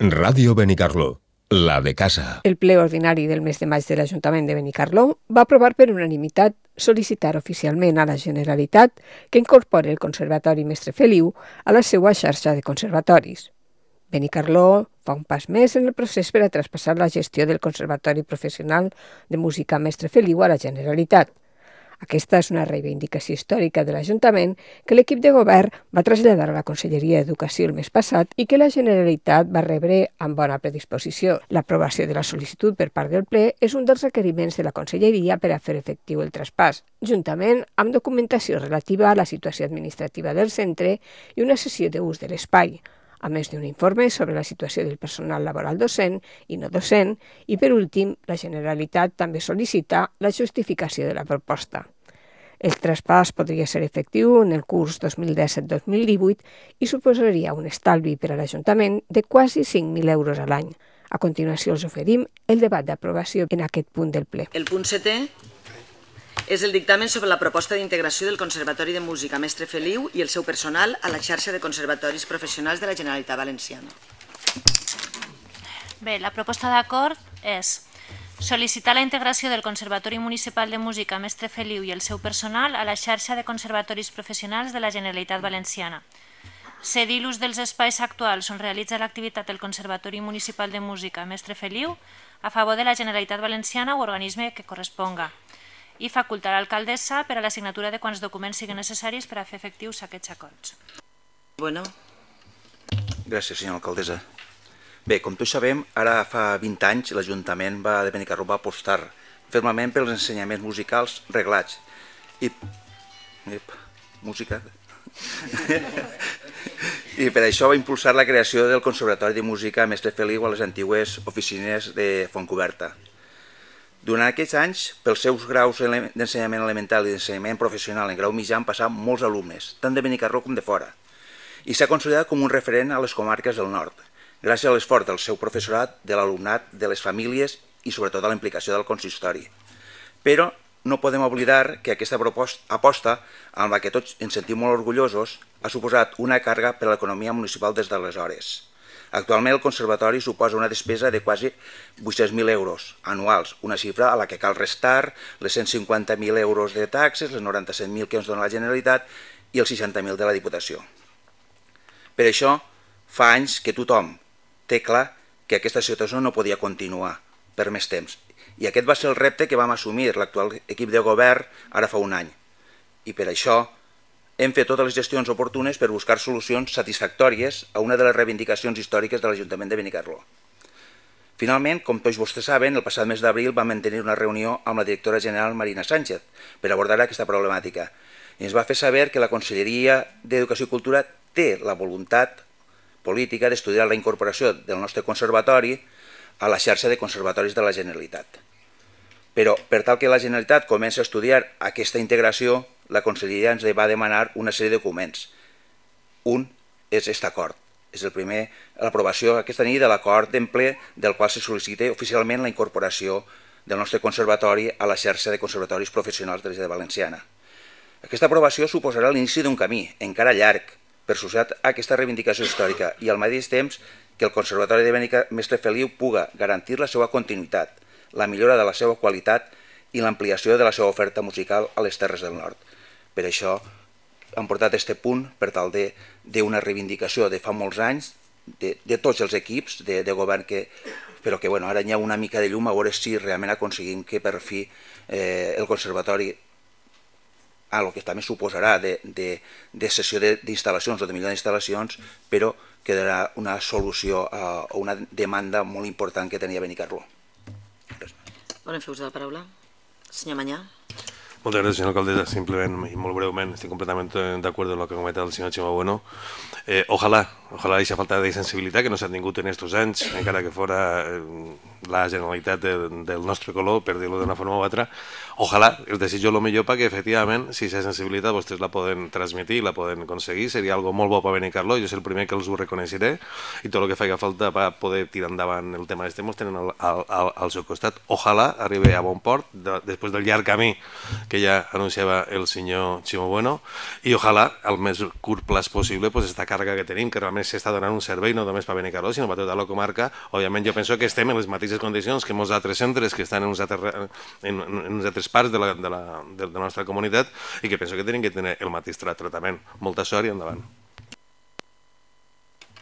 Ràdio Benicarló, la de casa. El ple ordinari del mes de maig de l'Ajuntament de Benicarló va aprovar per unanimitat sol·licitar oficialment a la Generalitat que incorpori el Conservatori Mestre Feliu a la seva xarxa de conservatoris. Benicarló fa un pas més en el procés per a traspassar la gestió del Conservatori Professional de Música Mestre Feliu a la Generalitat. Aquesta és una reivindicació històrica de l'Ajuntament que l'equip de govern va traslladar a la Conselleria d'Educació el mes passat i que la Generalitat va rebre amb bona predisposició. L'aprovació de la sol·licitud per part del ple és un dels requeriments de la Conselleria per a fer efectiu el traspàs, juntament amb documentació relativa a la situació administrativa del centre i una sessió d'ús de l'espai, a més d'un informe sobre la situació del personal laboral docent i no docent, i per últim, la Generalitat també sol·licita la justificació de la proposta. El traspàs podria ser efectiu en el curs 2017-2018 i suposaria un estalvi per a l'Ajuntament de quasi 5.000 euros a l'any. A continuació els oferim el debat d'aprovació en aquest punt del ple. El punt 7è és el dictamen sobre la proposta d'integració del Conservatori de Música Mestre Feliu i el seu personal a la xarxa de conservatoris professionals de la Generalitat Valenciana. Bé, la proposta d'acord és sol·licitar la integració del Conservatori Municipal de Música Mestre Feliu i el seu personal a la xarxa de conservatoris professionals de la Generalitat Valenciana. Cedir l'ús dels espais actuals on realitza l'activitat del Conservatori Municipal de Música Mestre Feliu a favor de la Generalitat Valenciana o organisme que corresponga i facultar l'alcaldessa per a la signatura de quants documents siguin necessaris per a fer efectius aquests acords. Bueno. Gràcies, senyora alcaldessa. Bé, com tots sabem, ara fa 20 anys l'Ajuntament de Benicarló va apostar fermament pels ensenyaments musicals reglats. Música. I per això va impulsar la creació del Conservatori de Música Mestre Feliu a les antigues oficines de Fontcoberta. Durant aquests anys, pels seus graus d'ensenyament elemental i d'ensenyament professional en grau mitjà han passat molts alumnes, tant de Benicarló com de fora, i s'ha consolidat com un referent a les comarques del nord, gràcies a l'esforç del seu professorat, de l'alumnat, de les famílies i sobretot a la implicació del consistori. Però no podem oblidar que aquesta aposta, amb la que tots ens sentim molt orgullosos, ha suposat una càrrega per a l'economia municipal des d'aleshores. Actualment el conservatori suposa una despesa de quasi 800.000 euros anuals, una xifra a la que cal restar les 150.000 euros de taxes, les 97.000 que ens dona la Generalitat i els 60.000 de la Diputació. Per això, fa anys que tothom té clar que aquesta situació no podia continuar per més temps. I aquest va ser el repte que vam assumir l'actual equip de govern ara fa un any. I per això hem fet totes les gestions oportunes per buscar solucions satisfactòries a una de les reivindicacions històriques de l'Ajuntament de Benicarló. Finalment, com tots vostès saben, el passat mes d'abril vam mantenir una reunió amb la directora general Marina Sánchez per abordar aquesta problemàtica. I ens va fer saber que la Conselleria d'Educació i Cultura té la voluntat política d'estudiar la incorporació del nostre conservatori a la xarxa de conservatoris de la Generalitat. Però, per tal que la Generalitat comenci a estudiar aquesta integració, la Conselleria ens va demanar una sèrie de documents. Un és aquest acord. És el primer, l'aprovació aquesta nit de l'acord d'emple del qual se sol·licita oficialment la incorporació del nostre conservatori a la xarxa de conservatoris professionals de la Generalitat Valenciana. Aquesta aprovació suposarà l'inici d'un camí, encara llarg, per associat a aquesta reivindicació històrica i al mateix temps que el Conservatori de Mestre Feliu puga garantir la seva continuïtat, la millora de la seva qualitat i l'ampliació de la seva oferta musical a les Terres del Nord. Per això hem portat aquest punt per tal d'una reivindicació de fa molts anys, de tots els equips de govern, però que ara hi ha una mica de llum a veure si realment aconseguim que per fi el conservatori, el que també suposarà de cessió d'instal·lacions o de millor d'instal·lacions, però quedarà una solució a una demanda molt important que tenia Benicarló. Volen fer ús de la paraula? Senyor Manyà. Moltes gràcies, senyora alcaldessa. Simplement i molt breument, estic completament d'acord amb el que ha comentat el senyor Ximo Bueno. Ojalà aquesta falta de sensibilitat que no s'ha tingut en aquests anys, encara que fora la Generalitat del nostre color, per dir-ho d'una forma o altra. Ojalà, els desitjo el millor perquè, efectivament, si aquesta sensibilitat vostès la poden transmetir, la poden aconseguir, seria algo molt bo per Benicarló, jo és el primer que els ho reconeixeré, i tot el que faci falta per poder tirar endavant el tema d'este, mos tenen al seu costat. Ojalà arribi a bon port, després del llarg camí que ja anunciava el senyor Ximo Bueno, i ojalà, al més curt plaç possible, aquesta càrrega que tenim, que realment s'està donant un servei no només per Benicarló, sinó per tota la comarca. Òbviament, jo penso que estem en les mateixes condicions que molts altres centres que estan en uns altres parts de la nostra comunitat i que penso que tenen que tenir el mateix tractament. Molta sort i endavant.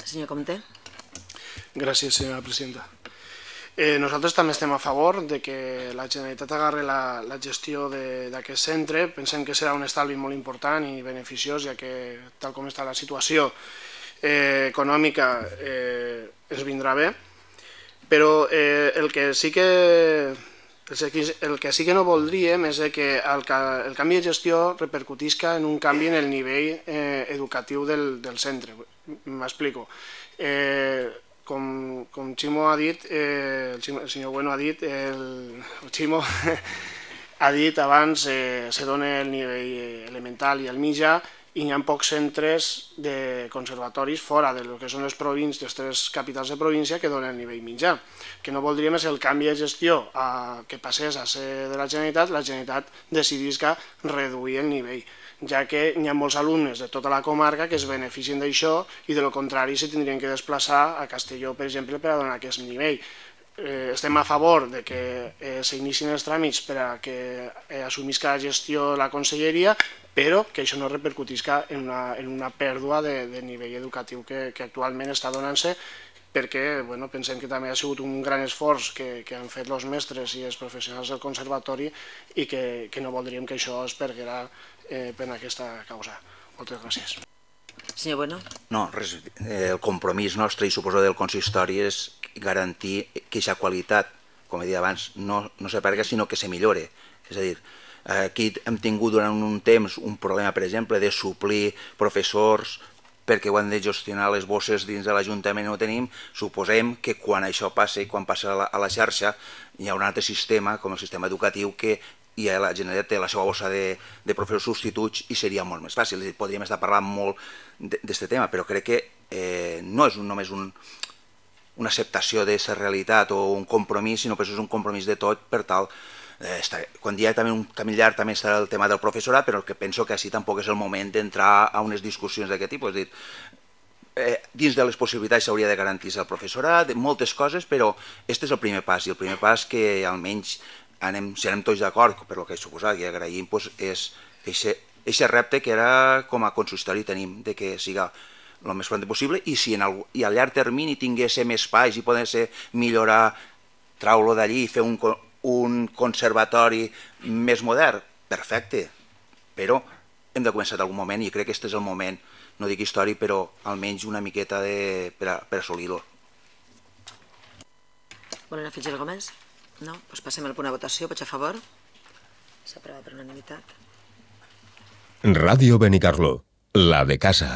Senyor Comte. Gràcies, senyora presidenta. Nosaltres també estem a favor de que la Generalitat agarri la gestió d'aquest centre. Pensem que serà un estalvi molt important i beneficiós, ja que tal com està la situació econòmica ens vindrà bé. Però el que sí que no voldríem és que el canvi de gestió repercutisca en un canvi en el nivell educatiu del centre. M'explico. Com Ximo ha dit, el senyor Bueno ha dit, el Ximo ha dit abans, se dona el nivell elemental i el mitjà, i hi ha pocs centres de conservatoris fora de lo que són les tres capitals de província que donen el nivell mitjà. Que no voldríem és el canvi de gestió que passés a ser de la Generalitat decidisca reduir el nivell, ja que hi ha molts alumnes de tota la comarca que es beneficien d'això i de lo contrari se tindrien que desplaçar a Castelló, per exemple, per a donar aquest nivell. Estem a favor de que s'inicien els tràmits per a que assumisca la gestió la conselleria, però que això no repercutisca en una pèrdua de nivell educatiu que actualment està donant-se, perquè pensem que també ha sigut un gran esforç que han fet els mestres i els professionals del conservatori i que no voldríem que això es perguera per aquesta causa. Moltes gràcies. Senyor Bueno. No, res, el compromís nostre i suposo del consistori és garantir que aquesta qualitat, com he dit abans, no se perga sinó que se millore. És a dir, aquí hem tingut durant un temps un problema, per exemple, de suplir professors perquè ho han de gestionar les bosses dins de l'Ajuntament i no ho tenim. Suposem que quan això passi, quan passa a la xarxa, hi ha un altre sistema, com el sistema educatiu, que la Generalitat té la seva bossa de professors substituts i seria molt més fàcil. Podríem estar parlant molt d'aquest tema, però crec que no és només una acceptació d'aquesta realitat o un compromís, sinó que és un compromís de tot per tal. Quan hi ha també un camí llarg també estarà el tema del professorat, però que penso que així tampoc és el moment d'entrar a unes discussions d'aquest tipus. És a dir, dins de les possibilitats s'hauria de garantir el professorat, moltes coses, però aquest és el primer pas, i el primer pas que almenys si anem tots d'acord, per el que he suposat i agraïm, és aquest repte que ara com a consistori tenim, de que siga el més pront possible, i si a llarg termini tinguéssim espais i poder millorar, trau-lo d'allí i fer un conservatori més modern, perfecte, però hem de començar d'algun moment i crec que aquest és el moment, no dic històric, però almenys una miqueta per assolir-lo. Volen afegir alguna cosa més? No? Doncs passem al punt de votació. Vots a favor? S'aprova per unanimitat. Ràdio Benicarló, la de casa.